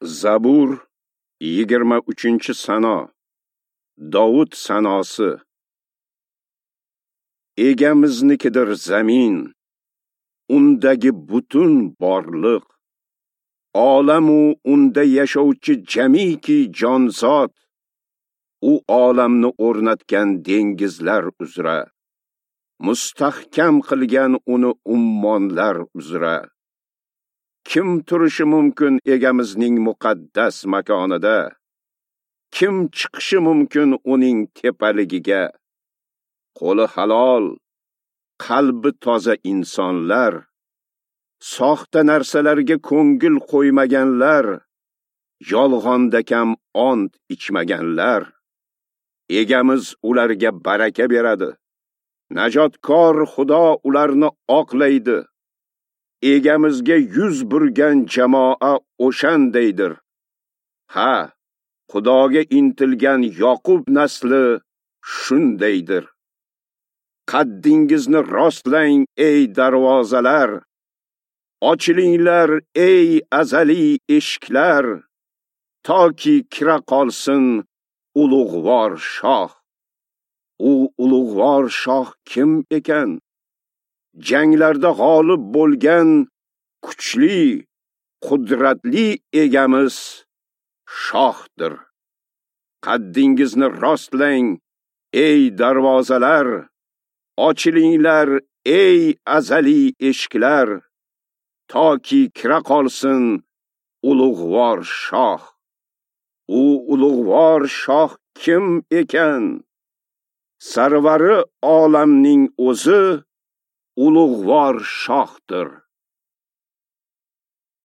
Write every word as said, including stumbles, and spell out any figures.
Zabur yigirma uchinchi sano. Dovud sanosi. Egamiznikidir zamin, undagi butun borliq, olamu unda yashovchi jamiki jonzot, u olamni o'rnatgan dengizlar uzra, mustahkam qilgan uni ummonlar uzra. Kim turishi mumkin egamizning muqaddas makonida? Kim chiqishi mumkin uning tepaligiga? Qo'li halol, qalbi toza insonlar, soxta narsalarga ko'ngil qo'ymaganlar, yolg'onda kam ont ichmaganlar. Egamiz ularga baraka beradi. Najotkor Xudo ularni oqlaydi. Egamizga yuz burgan jamoa o'shandaydir. Ha, Xudoga intilgan Yoqub nasli shundaydir. Qaddingizni rostlang, ey darvozalar! Ochilinglar, ey azaliy eshiklar! Toki kira qolsin ulug'vor shoh. U ulug'vor shoh kim ekan? Janglarda g'olib bo'lgan kuchli, qudratli egamiz shohdir. Qaddingizni rostlang, ey darvozalar! Ochilinglar, ey azaliy eshiklar! Toki kira qolsin ulug'vor shoh. U ulug'vor shoh kim ekan? Sarvari olamning o'zi ulug'vor shohdir.